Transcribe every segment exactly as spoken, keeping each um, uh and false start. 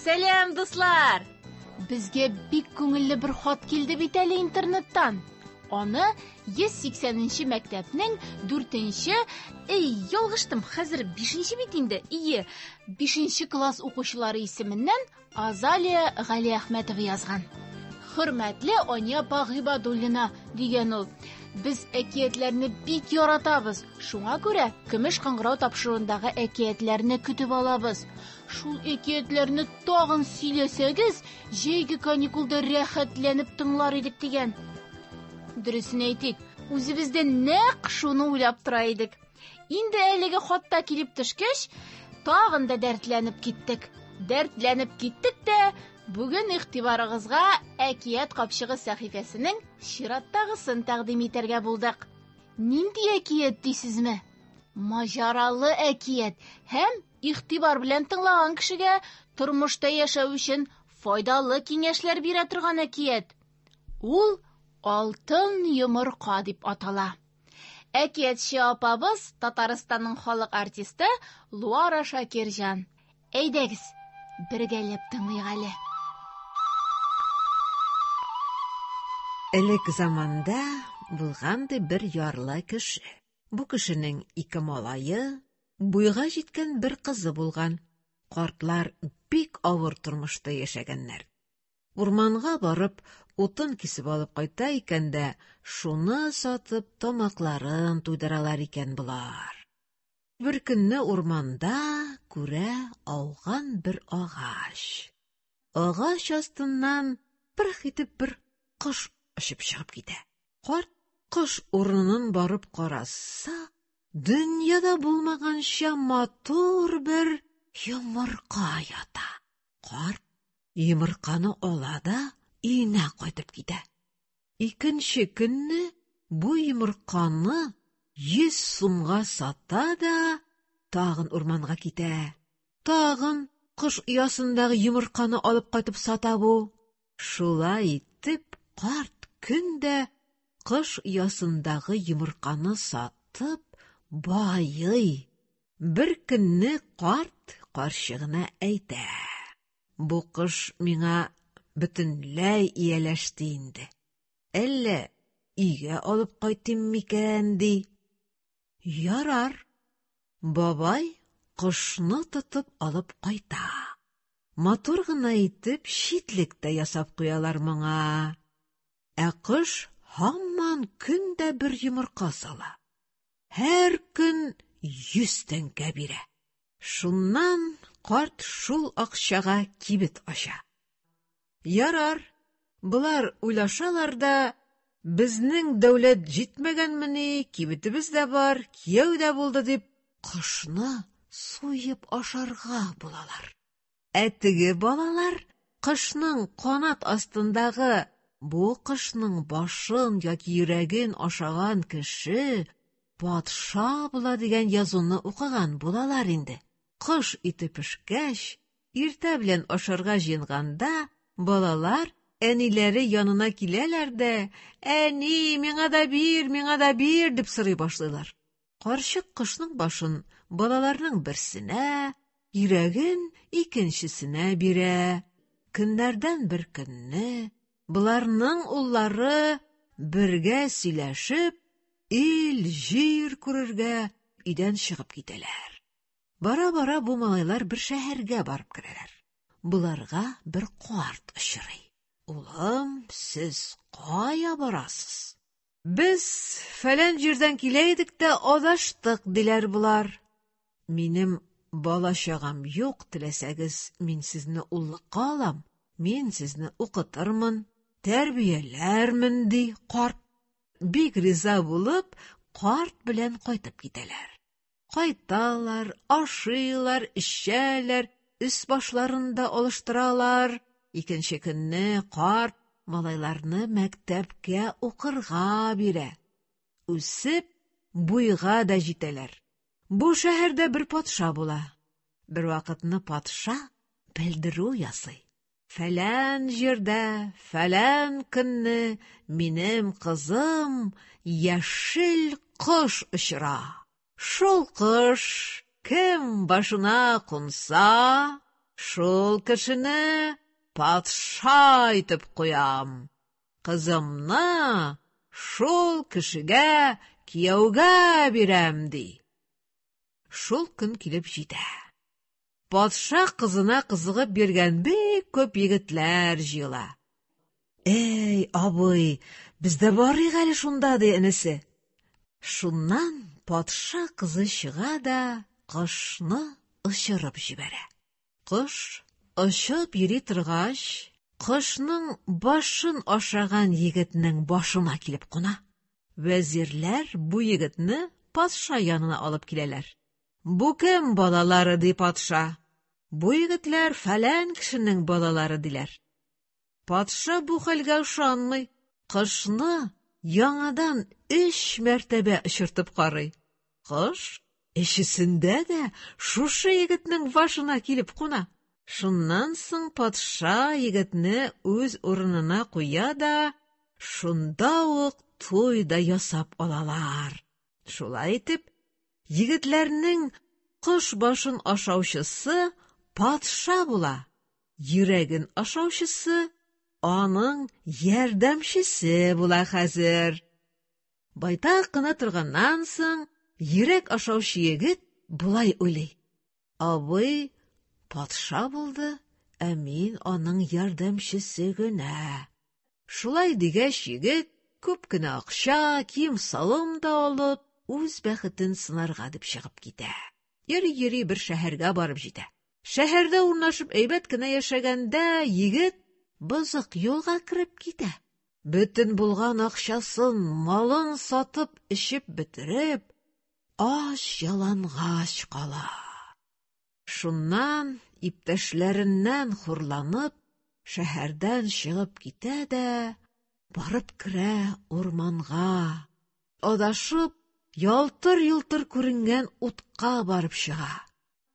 Сәлам, дуслар! Безгә бик күңелле бер хат килде бит әле интернеттан. Аны йөз сиксәненче мәктәпнең дүртенче, эй, ялгыштым, хәзер бишенче бит инде, ие, бишенче класс укучылары исеменнән Азалия Галиәхмәтова язган. Хөрмәтле Ания апа Гыйбадуллина, дигән ул. Без әкиятләрне бик яратабыз. Шуңа күрә Көмеш кыңгырау тапшыруындагы әкиятләрне көтеп алабыз. Шул әкиятләрне тагын сөйләсәгез, җәйге каникулда рәхәтләнеп тыңлар идек, дигән. Дөресен әйтик, үзебез дә нәкъ шуны уйлап тора идек. Инде әлеге хатта килеп төшкәч, тагын да дәртләнеп киттек. Дәртләнеп киттек тә, бүген игътибарыгызга Әкият капчыгы сәхифәсенең чираттагысын тәкъдим итәргә булдык. Нинди әкият дисезме? Маҗаралы әкият һәм игътибар белән тыңлаган кешегә тормышта яшәү өчен файдалы киңәшләр бирә торган әкият. Ул Алтын йомырка дип атала. Әкиятче апабыз Татарстанның халык артисты Луара Шакирҗан. Әйдәгез, бергәләп тыңлыйк әле. Элек заманда булган ди бер ярлы кеше. Бу кешенең ике малае, буйга җиткән бер кызы булган. Картлар бик авыр тормышта яшәгәннәр. Урманга барып, утын кисеп алып кайта икән дә, шуны сатып тамакларын туйдыралар икән болар. Бер көнне урманда күрә ауган бер агач. Агач астыннан пырх итеп бер кош очып чыгып китә. Карт кош урынын барып караса, дөньяда булмаганча матур бер йомырка ята. Карт йомырканы ала да өенә кайтып китә. Икенче көнне бу йомырканы йөз сумга сата да тагын урманга китә. Тагын кош оясындагы йомырканы алып кайтып сата бу. Шулай итеп карт көн дә кош оясындагы йомырканы сатып байый. Бер көнне карт карчыгына әйтә: Бу кош миңа бөтенләй ияләште инде. Әллә өйгә алып кайтыйм микән, ди. Ярар. Бабай кошны тотып алып кайта. Матур гына итеп читлек тә ясап куялар моңа. Ә кош һаман көн дә бер йомырка сала. Һәр көн йөз тәңкә бирә. Шуннан карт шул акчага кибет ача. Ярар, болар уйлашалар да, безнең дәүләт җитмәгәнмени, кибетебез дә бар, кияү дә булды дип, кошны суеп ашарга булалар. Ә теге балалар кошның канат астындагы бу кошның башын яки йөрәген ашаган кеше патша була дигән язуны укыган булалар инде. Кош ите пешкәч, иртә белән ашарга җыенганда, балалар әниләре янына киләләр дә, Әни, миңа да бир, миңа да бир, дип сорый башлыйлар. Карчык кошның башын балаларның берсенә, йөрәген икенчесенә бирә. Көннәрдән бер көнне боларның уллары бергә сөйләшеп, ил җир күрергә өйдән чыгып китәләр. Бара-бара бу малайлар бер шәһәргә барып керәләр. Боларга бер карт очрый. Улым, сез кая барасыз? Без фәлән җирдән килә идек тә адаштык, диләр болар. Минем бала-чагам юк, теләсәгез, мин сезне уллыкка алам, мин сезне укытырмын, тәрбияләрмен, ди карт. Бик риза булып, карт белән кайтып китәләр. Кайталар, ашыйлар, эчәләр, өс башларын да алыштыралар. Икенче көнне карт малайларны мәктәпкә укырга бирә. Үсеп, буйга да җитәләр. Бу шәһәрдә бер патша була. Бер вакытны патша белдерү ясый. Фәлән җирдә, фәлән көнне минем кызым яшел кош очыра. Шул кош кем башына кунса, шул кешене патша итеп куям. Кызымны шул кешегә кияүгә бирәм, ди. Шул көн килеп җитә. Патша кызына кызыгып биргән бик күп егетләр җыела. Эй, абый, без дә барыйк әле шунда, ди энесе. Шуннан патша кызы чыга да кошны очырып җибәрә. Кош очып йөри торгач, кошның башын ашаган егетнең башына килеп куна. Вәзирләр бу егетне патша янына алып киләләр. Бу кем балалары, ди патша. Бу егетләр фәлән кешенең балалары, диләр. Патша бу хәлгә ышанмый, кошны яңадан өч мәртәбә очыртып карый. Кош өчесендә дә шушы егетнең башына килеп куна. Шуннан соң патша егетне үз урынына куя да, шунда ук туй да ясап алалар. Шулай итеп, егетләрнең кош башын ашаучысы патша була, йөрәген ашаучысы аның ярдәмчесе була хәзер. Байтак кына торганнан соң, йөрәк ашаучы егет болай уйлый: Абый патша булды, ә мин аның ярдәмчесе генә. Шулай дигәч, егет күп кенә акча, кием-салым да алып, үз бәхетен сынарга дип чыгып китә. Йөри-йөри бер шәһәргә барып җитә. Шәһәрдә урнашып әйбәт кенә яшәгәндә, егет бозык юлга кереп китә. Бөтен булган акчасын, малын сатып, эчеп бетереп, ач ялангач кала. Шуннан иптәшләреннән хурланып, шәһәрдән чыгып китә дә, барып керә урманга. Адашып, ялтыр-йолтыр күренгән утка барып чыга.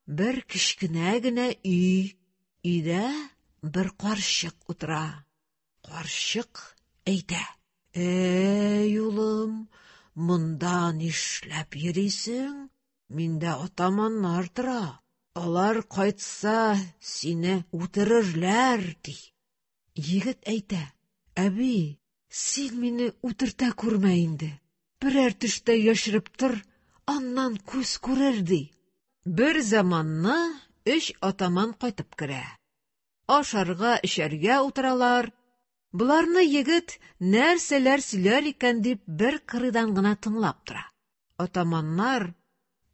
Бер кечкенә генә өй, өйдә бер карчык утыра. Карчык әйтә: Эй, улым, монда нишләп йөрисең? Миндә атаманнар тора. Алар кайтса, сине үтерерләр, ди. Егет әйтә: Әби, син мине үтертә күрмә инде. Берәр төштә яшереп тор, аннан күз күрер, ди. Бер заманны өч атаман кайтып керә. Ашарга, эчәргә утыралар. Боларны егет нәрсәләр сөйләр икән дип бер кырыйдан гына тыңлап тора. Атаманнар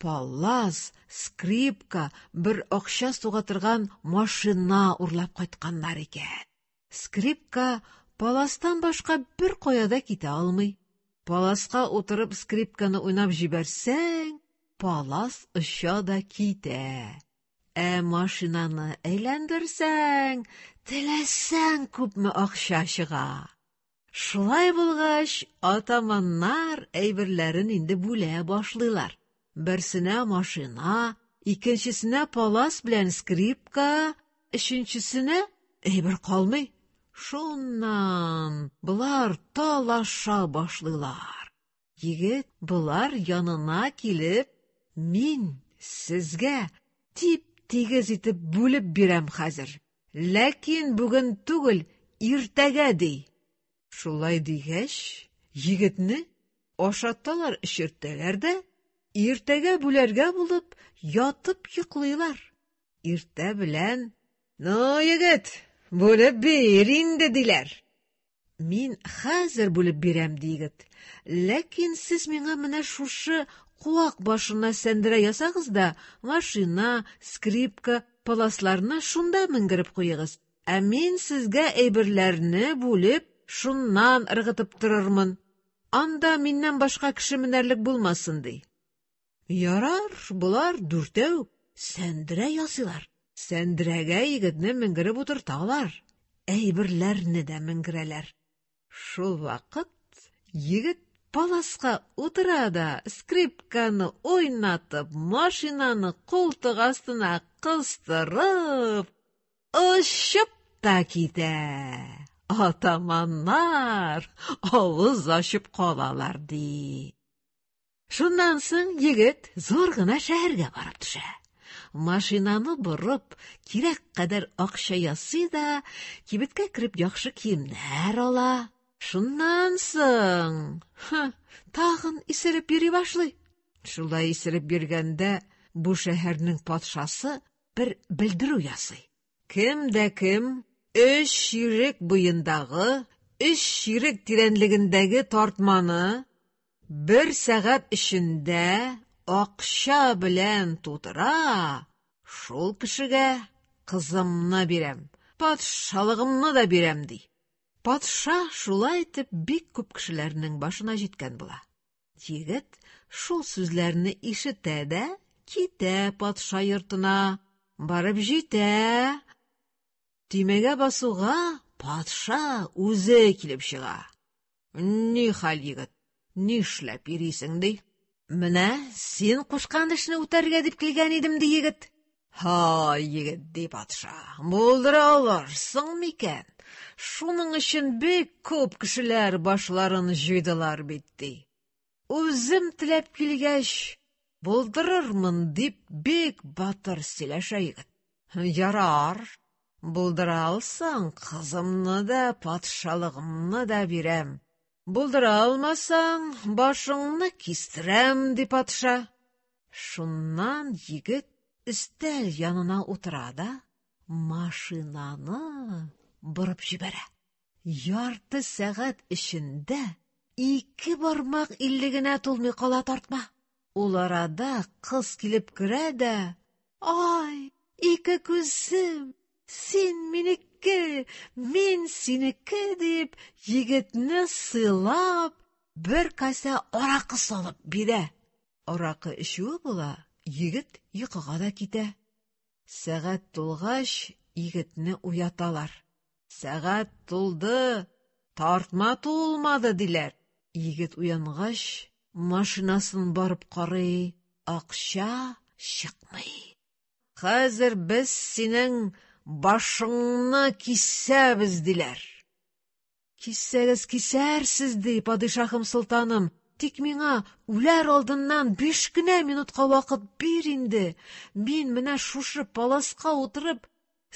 палас, скрипка, бер акча суга торган машина урлап кайтканнар икән. Скрипка паластан башка бер кая да китә алмый. Паласка утырып скрипканы уйнап җибәрсәң, палас оча да китә. Ә машинаны әйләндерсәң, теләсәң күпме акча чыга. Шулай булгач, атаманнар әйберләрен инде бүлә башлыйлар. Берсенә машина, икенчесенә палас белән скрипка, өченчесенә әйбер калмый. Шуннан болар талаша башлыйлар. Егет болар янына килеп, мин сезгә тип-тигез итеп бүлеп бирәм хәзер. Ләкин бүген түгел, иртәгә, ди. Шулай дигәч, егетне ашаталар, эчертәләр дә, иртәгә бүләргә булып, ятып йоклыйлар. Иртә белән: Ну, егет, бүлеп бир инде, диләр. Мин хәзер бүлеп бирәм, ди егет. Ләкин сез миңа менә шушы куак башына сәндерә ясагыз да, машина, скрипка, паласларны шунда менгереп куегыз. Ә мин сезгә әйберләрне бүлеп, шуннан ыргытып торырмын. Анда миннән башка кеше менәрлек булмасын, ди. Ярар, болар дүртәү сәндерә ясыйлар. Сәндерәгә егетне менгереп утырталар. Әйберләрне дә менгерәләр. Шул вакыт егет паласка утыра да, скрипканы уйнатып, машинаны култык астына кыстырып, очып та китә. Атаманнар авыз ачып калалар, ди. Шуннан соң егет зур гына шәһәргә барып төшә. Машинаны борып, кирәк кадәр акча ясый да, кибеткә кереп яхшы киемнәр ала. Шуннан соң, ха, тагын исереп йөри башлый. Шулай исереп йөргәндә бу шәһәрнең патшасы бер белдерү ясый. Кем дә кем өч чирек буендагы, өч чирек тирәнлегендәге тартманы бер сәгать эчендә акча белән тутыра, шул кешегә кызымны бирәм, патшалыгымны да бирәм, ди. Патша шулай итеп бик күп кешеләрнең башына җиткән була. Егет шул сүзләрне ишетә дә китә патша йортына, барып җитә. Төймәгә басуга патша үзе килеп чыга. Ни хәл, егет, нишләп йөрисең, ди. Менә син кушкан эшне үтәргә дип килгән идем, ди егет. Һай, егет, ди патша, булдыра алырсың микән? Шуның өчен бик күп кешеләр башларын җуйдылар бит, ди. Үзем теләп килгәч, булдырырмын, дип бик батыр сөйләшә егет. Ярар, булдыра алсаң, кызымны да, патшалыгымны да бирәм. Булдыра алмасаң, башыңны кистерәм, ди патша. Шуннан егет өстәл янына утыра да машинаны борып җибәрә. Ярты сәгать эчендә ике бармак иллегенә тулмый кала тартма. Ул арада кыз килеп керә дә, ай, ике күзем, син минеке, мин синеке, дип, егетне сыйлап, бер касә аракы салып бирә. Аракы эчүе була, егет йокыга да китә. Сәгать тулгач, егетне уяталар. Сәгать тулды, тартма тулмады, диләр. Егет уянгач, машинасын барып карый, акча чыкмый. Хәзер без синең башыңны кисәбез, диләр. Киссәгез кисәрсез, ди падишаһым солтаным. Тик миңа үләр алдыннан биш кенә минутка вакыт бир инде. Мин менә шушы паласка утырып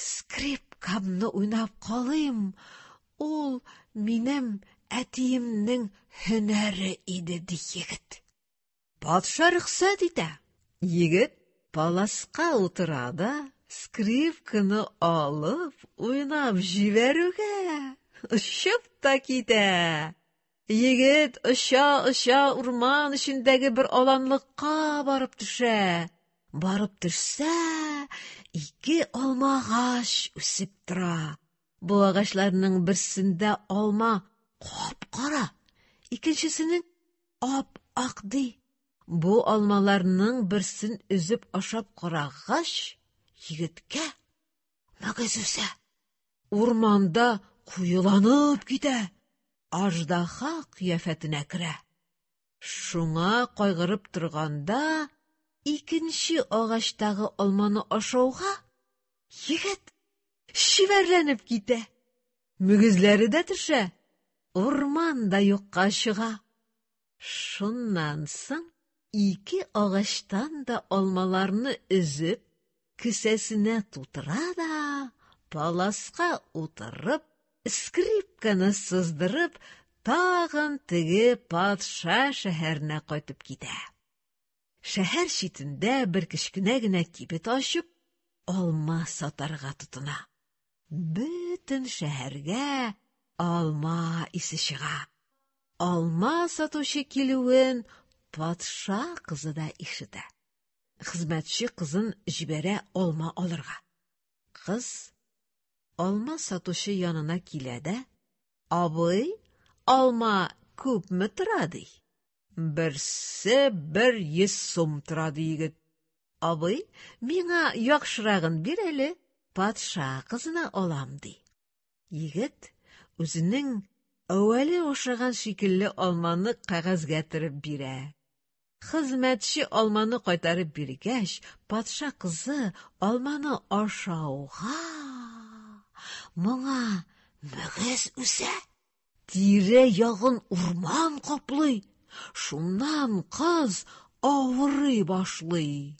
скрипкамны уйнап калыйм. Ул минем әтиемнең һөнәре иде, ди егет. Патша рөхсәт итә. Егет паласка утыра да скрипканы алып уйнап җибәрүгә очып та китә. Егет оча-оча урман эчендәге бер аланлыкка барып төшә. Барып төшсә, ике алма агач үсеп тора. Бу агачларның берсендә алма кап-кара, икенчесенең ап-ак, ди. Бу алмаларның берсен өзеп ашап карагач, егеткә мөгез үсә. Урманда куеланып китә, аждаһа кыяфәтенә керә. Шуңа кайгырып торганда, икенче агачтагы алманы ашауга егет чибәрләнеп китә. Мөгезләре дә төшә, урман да юкка чыга. Шуннан соң ике агачтан да алмаларны өзеп, кесәсенә тутыра да, паласка утырып, скрипканы сыздырып, тагын теге патша шәһәренә кайтып китә. Шәһәр читендә бер кечкенә генә кибет ачып, алма сатарга тотына. Бөтен шәһәргә алма исе чыга. Алма сатучы килүен патша кызы да ишетә. Хезмәтче кызын җибәрә алма алырга. Кыз алма сатучы янына килә дә, абый, алма күпме тора, ди. Берсе бер йөз сум тора, ди егет. Абый, миңа яхшырагын бир әле, патша кызына алам, ди. Егет үзенең әүвәле ашаган шикелле алманы кәгазьгә төреп бирә. Хезмәтче алманы кайтарып биргәч, патша кызы алманы ашауга моңа мөгез үсә. Тирә ягын урман каплый. Шуннан кыз авырый башлый.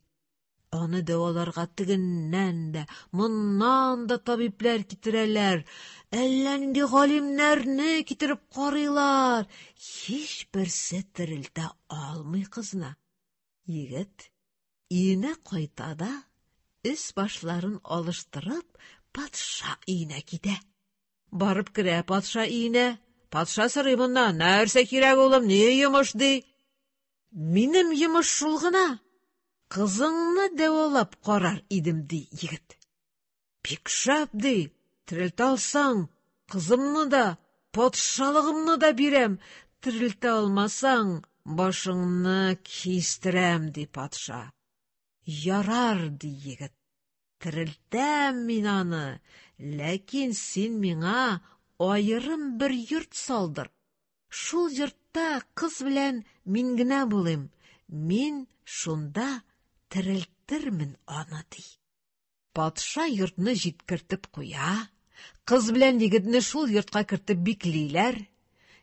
Аны дәваларга тегеннән дә, моннан да табибләр китерәләр, әллә нинди галимнәрне китереп карыйлар. Һичберсе терелтә алмый кызны. Егет өенә кайта да, өс башларын алыштырып, патша өенә китә. Барып керә патша өенә. Патша сорый моннан: "Нәрсә кирәк, улым, ни йомыш?" ди. "Минем йомыш шул гына. Кызыңны дәвалап карар идем", ди егет. "Бик шәп", ди. "Терелтә алсаң, кызымны да, патшалыгымны да бирәм. Терелтә алмасаң, башыңны кистерәм", ди патша. "Ярар", ди егет. "Терелтәм мин аны, ләкин син миңа аерым бер йорт салдыр. Шул йортта кыз белән мин генә булыйм. Мин шунда терелтермен аны", ди. Патша йортны җиткертеп куя. Кыз белән егетне шул йортка кертеп биклиләр.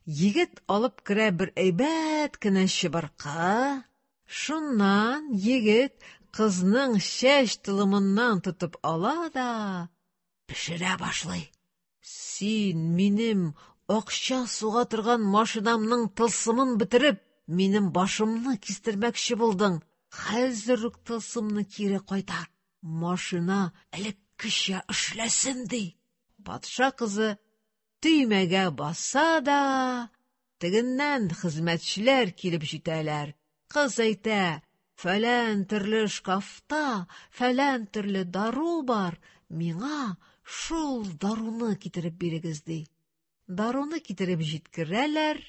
Егет алып керә бер әйбәт кенә чыбыркы. Шуннан егет кызның чәч толымыннан тотып ала да пешерә башлый. "Син минем акча суга торган машинамның тылсымын бетереп, минем башымны кистермәкче булдың. Хәзер үк тылсымны кире кайтар. Машина элеккечә эшләсен", ди. Патша кызы төймәгә баса да, тегеннән хезмәтчеләр килеп җитәләр. Кыз әйтә: "Фәлән төрле шкафта фәлән төрле дару бар, миңа шул даруны китереп бирегез", ди. Даруны китереп җиткерәләр.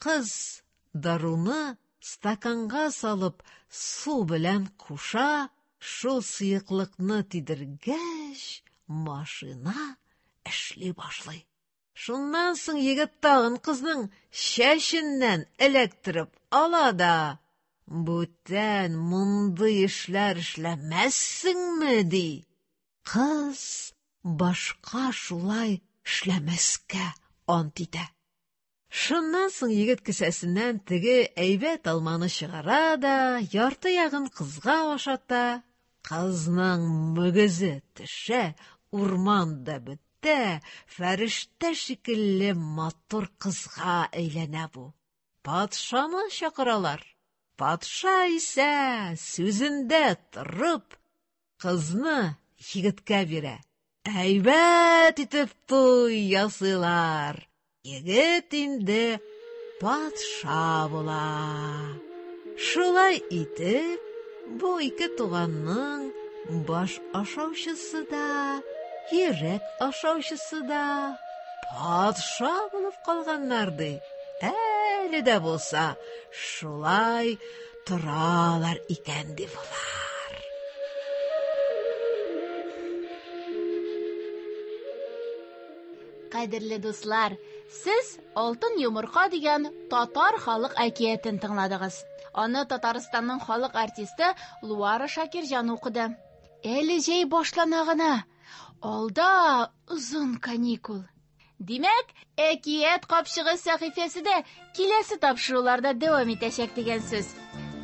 Кыз даруны стаканга салып су белән куша. Шул сыеклыкны тидергәч, машина эшли башлый. Шуннан соң егет тагын кызның чәченнән эләктереп ала да: "Бүтән мондый эшләр эшләмәссеңме?" ди. Кыз башка шулай эшләмәскә ант итә. Шуннан соң егет кесәсеннән теге әйбәт алманы чыгара да, ярты ягын кызга ашата. Кызның мөгезе төшә, урман да бетә, фәрештә шикелле матур кызга әйләнә бу. Патшаны чакыралар. Патша исә сүзендә торып, кызны егеткә бирә. Әйбәт итеп туй ясыйлар. Егет инде патша була. Шулай итеп, бу ике туганның баш ашаучысы да, йөрәк ашаучысы да патша булып калганнар, ди. Әле дә булса шулай торалар икән, ди болар. Кадерле дуслар, сез Алтын йомырка дигән татар халык әкиятен тыңладыгыз. Аны Татарстанның халык артисты Луара Шакирҗан укыды. Әле җәй башлана гына. Алда озын каникул. Димәк, әкият капчыгы сәхифәсе дә киләсе тапшыруларда дәвам итәчәк дигән сүз.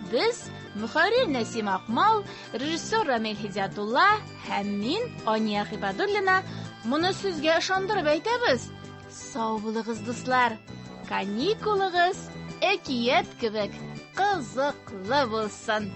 Без мөхәррир Нәсим Акмал, режиссер Рамил Һидиятулла һәм мин, Ания Хибадуллина, моны сезгә ышандырып әйтәбез. Сау булыгыз, дуслар. Каникулыгыз әкият кебек кызыклы булсын.